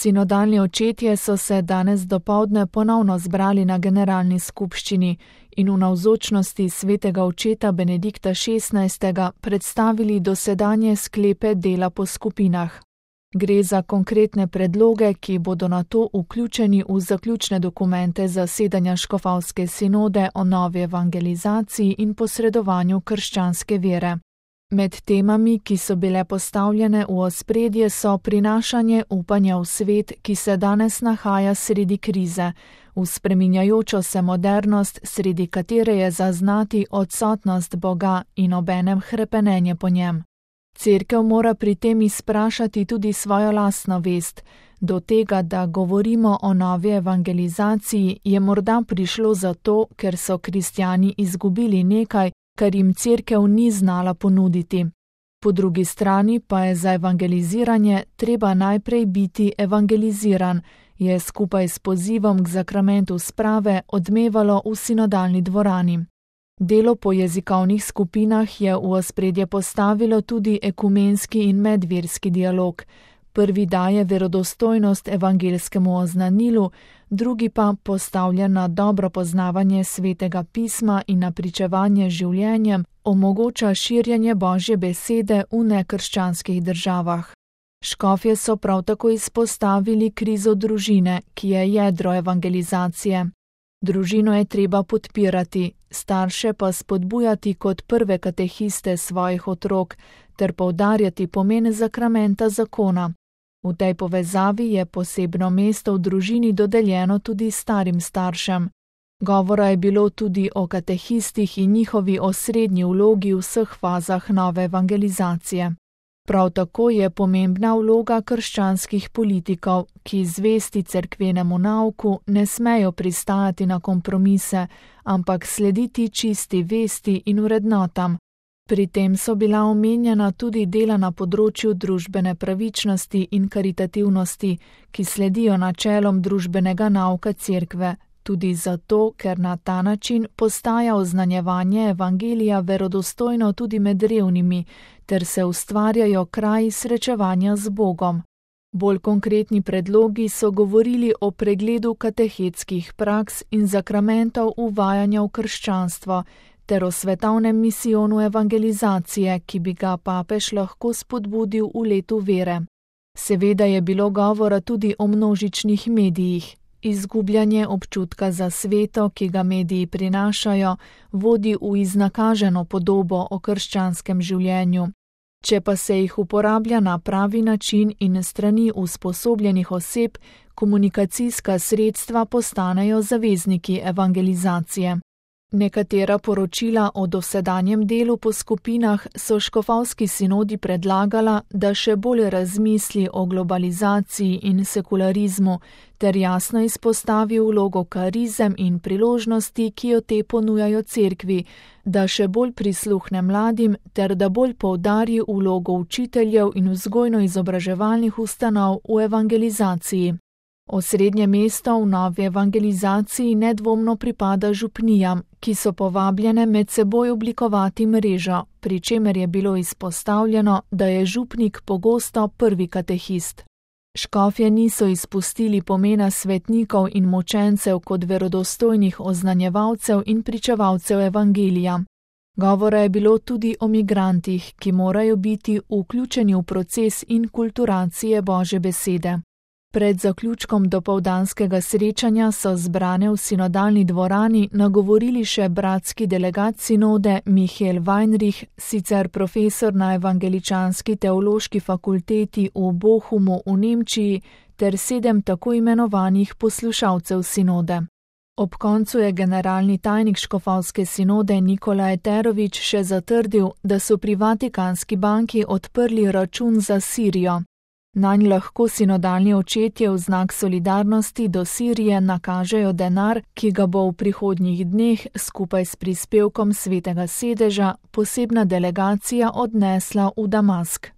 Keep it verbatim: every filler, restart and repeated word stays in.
Sinodalni očetje so se danes dopoldne ponovno zbrali na generalni skupščini in v navzočnosti svetega očeta Benedikta šestnajstega predstavili dosedanje sklepe dela po skupinah. Gre za konkretne predloge, ki bodo nato vključeni v zaključne dokumente zasedanja škofovske sinode o novi evangelizaciji in posredovanju krščanske vere. Med temami, ki so bile postavljene v ospredje, so prinašanje upanja v svet, ki se danes nahaja sredi krize, v spreminjajočo se modernost, sredi katere je zaznati odsotnost Boga in obenem hrepenenje po njem. Cerkev mora pri tem izprašati tudi svojo lastno vest. Do tega, da govorimo o novi evangelizaciji, je morda prišlo zato, ker so kristjani izgubili nekaj, kar jim cerkev ni znala ponuditi. Po drugi strani pa je za evangeliziranje treba najprej biti evangeliziran, je skupaj s pozivom k zakramentu sprave odmevalo v sinodalni dvorani. Delo po jezikovnih skupinah je v ospredje postavilo tudi ekumenski in medverski dialog. Prvi daje verodostojnost evangelskemu oznanilu, drugi pa postavlja na dobro poznavanje svetega pisma in na pričevanje življenjem, omogoča širjenje Božje besede v nekrščanskih državah. Škofje so prav tako izpostavili krizo družine, ki je jedro evangelizacije. Družino je treba podpirati, starše pa spodbujati kot prve katehiste svojih otrok ter poudarjati pomen zakramenta zakona. V tej povezavi je posebno mesto v družini dodeljeno tudi starim staršem. Govora je bilo tudi o katehistih in njihovi osrednji vlogi v vseh fazah nove evangelizacije. Prav tako je pomembna vloga krščanskih politikov, ki zvesti cerkvenemu nauku ne smejo pristajati na kompromise, ampak slediti čisti vesti in vrednotam. Pri tem so bila omenjena tudi dela na področju družbene pravičnosti in karitativnosti, ki sledijo načelom družbenega nauka cerkve, tudi zato, ker na ta način postaja oznanjevanje evangelija verodostojno tudi med revnimi, ter se ustvarjajo kraji srečevanja z Bogom. Bolj konkretni predlogi so govorili o pregledu katehetskih praks in zakramentov uvajanja v krščanstvo, ter o svetovnem misijonu evangelizacije, ki bi ga papež lahko spodbudil v letu vere. Seveda je bilo govora tudi o množičnih medijih. Izgubljanje občutka za sveto, ki ga mediji prinašajo, vodi v iznakaženo podobo o krščanskem življenju. Če pa se jih uporablja na pravi način in strani usposobljenih oseb, komunikacijska sredstva postanejo zavezniki evangelizacije. Nekatera poročila o dosedanjem delu po skupinah so škofovski sinodi predlagala, da še bolj razmisli o globalizaciji in sekularizmu, ter jasno izpostavi vlogo karizem in priložnosti, ki jo te ponujajo cerkvi, da še bolj prisluhne mladim, ter da bolj poudari vlogo učiteljev in vzgojno-izobraževalnih ustanov v evangelizaciji. Osrednje mesto v novi evangelizaciji nedvomno pripada župnijam, ki so povabljene med seboj oblikovati mrežo, pri čemer je bilo izpostavljeno, da je župnik pogosto prvi katehist. Škofje niso izpustili pomena svetnikov in močencev kot verodostojnih oznanjevalcev in pričevalcev evangelija. Govora je bilo tudi o migrantih, ki morajo biti vključeni v proces inkulturacije Božje besede. Pred zaključkom dopoldanskega srečanja so zbrane v sinodalni dvorani nagovorili še bratski delegat sinode Michael Weinrich, sicer profesor na Evangeličanski teološki fakulteti v Bochumu v Nemčiji, ter sedem tako imenovanih poslušalcev sinode. Ob koncu je generalni tajnik škofovske sinode Nikola Eterović še zatrdil, da so pri Vatikanski banki odprli račun za Sirijo. Nanj lahko sinodalni očetje v znak solidarnosti do Sirije nakažejo denar, ki ga bo v prihodnjih dneh skupaj s prispevkom Svetega sedeža posebna delegacija odnesla v Damask.